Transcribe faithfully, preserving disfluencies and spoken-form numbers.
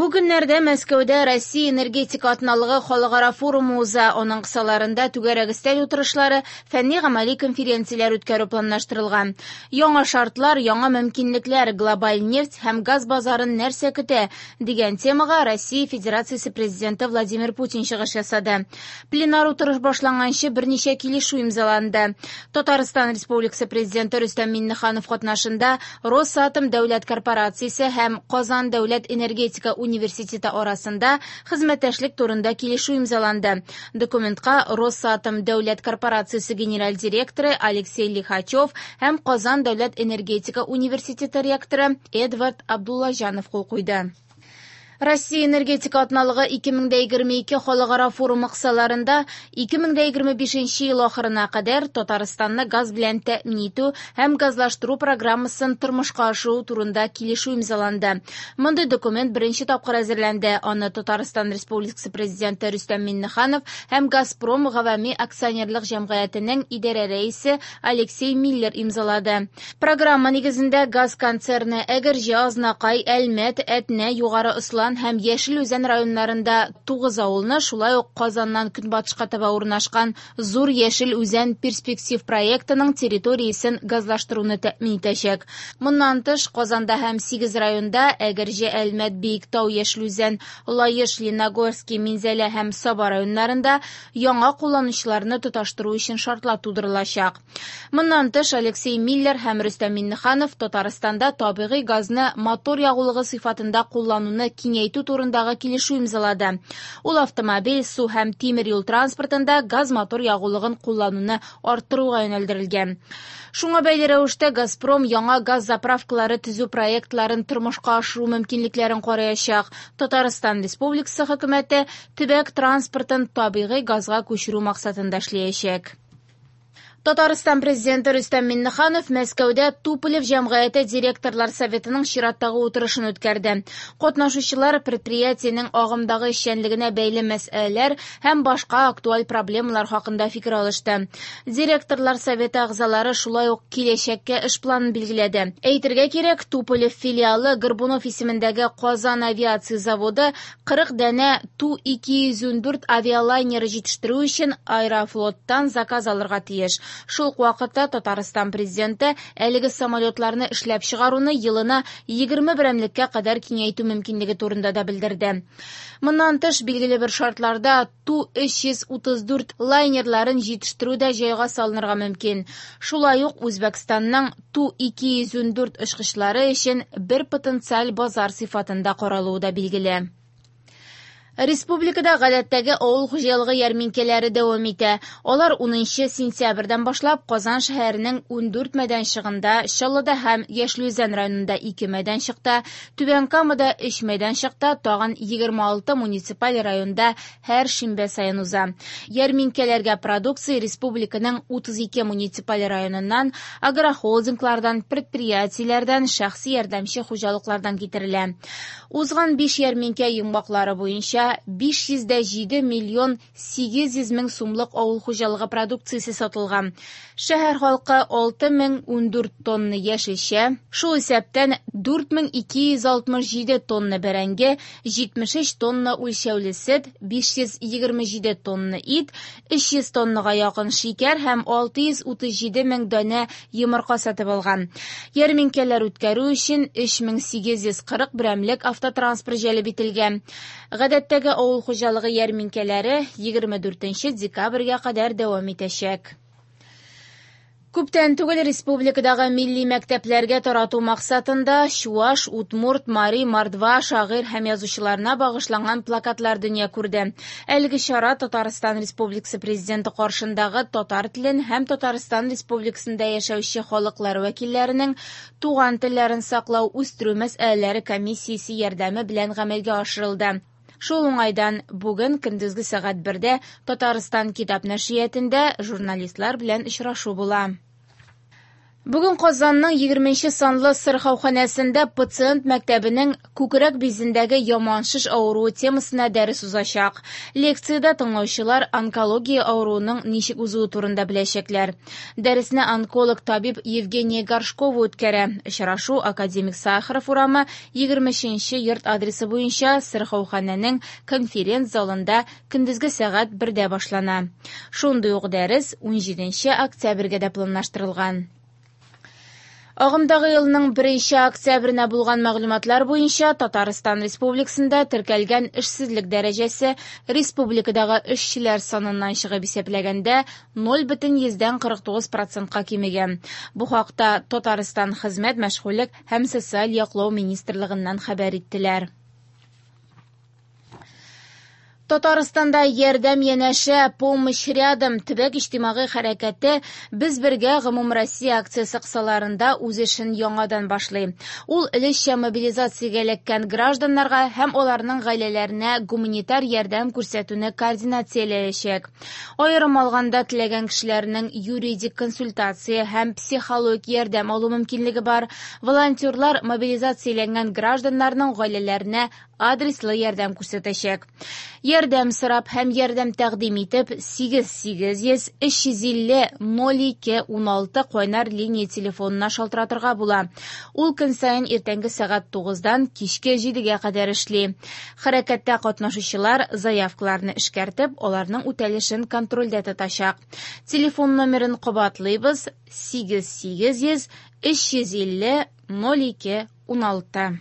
Бу көннәрдә Мәскәүдә Россия энергетика атналыгы халыкара форумы уза. Аның кысаларында түгәрәк өстәл утырышлары, фәнни-гамәли конференцияләр үткәрү планлаштырылган. Яңа шартлар, яңа мөмкинлекләр, глобаль нефть һәм газ базарын нәрсә көтә дигән темага Россия Федерациясе Президенты Владимир Путин чыгыш ясады. Пленар утырыш башланганчы берничә килешү имзаланды. Татарстан Республикасы Президенты Рөстәм Миңнеханов катнашында Росатом дәүләт корпорациясе һәм Казан дәүләт энергетика университеты арасында хезмәттәшлек турында килешү имзаланды. Документка Росатом дәүләт корпорациясе генераль директоры Алексей Лихачев һәм Казан дәүләт энергетика университеты ректоры Эдвард Абдуллаҗанов кул куйды. Россия энергетика атналыгы ике мең дә егерме ике халыкара форумы кысаларында ике мең дә егерме бишенче ел ахырына кадәр Татарстанны газ белән тәэмин итү һәм газлаштыру программасын тормышка ашыру турында килешү имзаланды. Мондый документ беренче тапкыр әзерләнде. Аны Татарстан Республикасы Президенты Рөстәм Миңнеханов һәм Газпром гавами акционерлык җәмгыятенең идарә рәисе Алексей Миллер имзалады. Программа нигезендә газ концерны Әгерҗе, Азнакай, Әлмәт, Әтнә, Югары Ослан һәм Яшел Үзән районнарында тугыз авылны, шулай ук Казаннан көнбатышка таба урнашкан Зур Яшел Үзән перспектив проектының территориясен газлаштыруны тәэмин итәчәк. Моннан тыш, Казанда һәм сигез районда Әгерҗе, Әлмәт, Биектау, Яшел Үзән, Лаеш, Лениногорский, Минзәлә һәм Саба районнарында яңа кулланучыларны тоташтыру өчен шартлар тудырылачак. Моннан тыш, Алексей Миллер һәм Рөстәм Миңнеханов Татарстанда табигый газны мотор ягулыгы сыйфатында куллануны киңәйтү турындагы килешү имзалады. Ул автомобиль, су һәм тимер юл транспортында газ-мотор ягулыгын куллануны арттыруга юнәлдерелгән. Шуңа бәйле рәвештә Газпром яңа газ заправкалары төзү проектларын тормышка ашыру мөмкинлекләрен караячак. Татарстан Республикасы хөкүмәте төбәк транспортын табигый газга күчерү максатында эшләячәк. Татарстан Президенты Рөстәм Миңнеханов Мәскәүдә Туполев җәмгыяте директорлар советының чираттагы утырышын үткәрде. Катнашучылар предприятиенең агымдагы эшчәнлегенә бәйле мәсьәләләр һәм башка актуаль проблемалар хакында фикер алышты. Директорлар советы әгъзалары шулай ук киләчәккә эш планын билгеләде. Әйтергә кирәк, Туполев филиалы Горбунов исемендәге Казан авиация заводы кырык данә Ту ике йөз ундүрт авиалайнеры җитештерү өчен Аэрофлоттан заказ алырга тиеш. Шул ук вакытта Татарстан президенты әлеге самолетларны эшләп чыгаруны елына егерме берәмлеккә кадәр киңәйтү мөмкинлеге турында да белдерде. Моннан тыш, билгеле бер шартларда Ту өч йөз утыз дүрт лайнерларын җитештерү дә җайга салынырга мөмкин. Шулай ук Үзбәкстанның Ту ике йөз ундүрт очкычлары өчен бер потенциаль базар сыйфатында каралуы да билгеле. Республикада гадәттәге авыл хуҗалыгы ярминкәләре дәвам итә. Алар унынчы сентябрьдән башлап Казан шәһәренең ундүрт мәйданчыгында, Чаллыда һәм Яшел Үзән районында ике мәйданчыкта, Түбән Камада өч мәйданчыкта, тагын егерме алты муниципаль районда һәр шимбә саен уза. Ярминкәләргә продукция республиканың утыз ике муниципаль районыннан, агрохолдинглардан, предприятиеләрдән, шәхси ярдәмче хуҗалыклардан китерелә. Узган биш ярминкә йомгаклары буенча биш йөз дә җиде миллион сигез йөз мең сумлык авыл хуҗалыгы продукциясе сатылган. Шәһәр халкы алты мең ундүрт тонна яшелчә, шул исәптән дүрт мең ике йөз алтмыш җиде тонна бәрәңге, җитмеш өч тонна үлчәүле сөт, биш йөз егерме җиде тонна ит, өч йөз тоннага якын шикәр һәм алты йөз утыз җиде мең данә йомырка сатып алган. Ярминкәләр үткәрү өчен өч мең сигез йөз кырык берәмлек автотранспорт җәлеп ителгән. Гадәттәге авыл хуҗалыгы ярминкәләре егерме дүртенче декабрьгә кадәр дәвам итәчәк. Күптән түгел республикадагы милли мәктәпләргә тарату максатында Чуаш, Удмурт, Мари, Мордва шагыйрь һәм язучыларына багышланган плакатлар дөнья күрде. Әлеге чара Татарстан Республикасы Президенты каршындагы татар телен һәм Татарстан Республикасында яшәүче халыклар вәкилләренең туган телләрен саклау, үстерү мәсьәләләре комиссиясе ярдәме белән гамәлгә ашырылды. Шул уңайдан бүген көндезге сәгать бердә Татарстан китап нәшриятендә журналистлар белән очрашу була. Бүген Казанның егерменче санлы сырхауханәсендә пациент мәктәбенең күкрәк бизендәге яман шеш авыруы темасына дәрес узачак. Лекциядә тыңлаучылар онкология авыруының ничек узуы турында беләчәкләр. Дәресне онколог табиб Евгения Горшкова үткәрә. Очрашу Академик Сахаров урамы егерме өченче йорт адресы буенча сырхауханәнең конференц-залында көндезге сәгать бердә башлана. Шундый ук дәрес унҗиденче октябрьгә дә планлаштырылган. Агымдагы елның беренче октябренә булган мәгълүматлар буенча Татарстан Республикасында теркәлгән эшсезлек дәрәҗәсе республикадагы эшчеләр саныннан чыгып исәпләгәндә ноль бөтен йөздән кырык тугыз процентка кимегән. Бу хакта Татарстан Хезмәт, мәшгульлек һәм социаль яклау министрлыгыннан хәбәр иттеләр. Татарстанда ярдәм янәшә, помощь рядом төбәк иҗтимагый хәрәкәте Без бергә гомумроссия акциясе кысаларында үз эшен яңадан башлый. Ул өлешчә мобилизациягә эләккән гражданнарга һәм аларның гаиләләренә гуманитар ярдәм күрсәтүне координацияләячәк. Аерым алганда теләгән кешеләрнең юридик консультация һәм психологик ярдәм алу мөмкинлеге бар. Волонтерлар мобилизацияләнгән гражданнарның гаиләләренә адреслы ярдәм күрсәтәчәк. Ярдәм сорап һәм ярдәм тәкъдим итеп сигез сигез йөз өч йөз илле ноль ике уналты кайнар линия телефонына шалтыратырга була. Ул көн саен иртәнге сәгать тугыздан кичке җидегә кадәр эшли. Хәрәкәттә катнашучылар заявкаларны эшкәртеп, аларның үтәлешен контрольдә тотачак. Телефон номерын кабатлыйбыз: сигез сигез йөз өч йөз илле ноль ике уналты.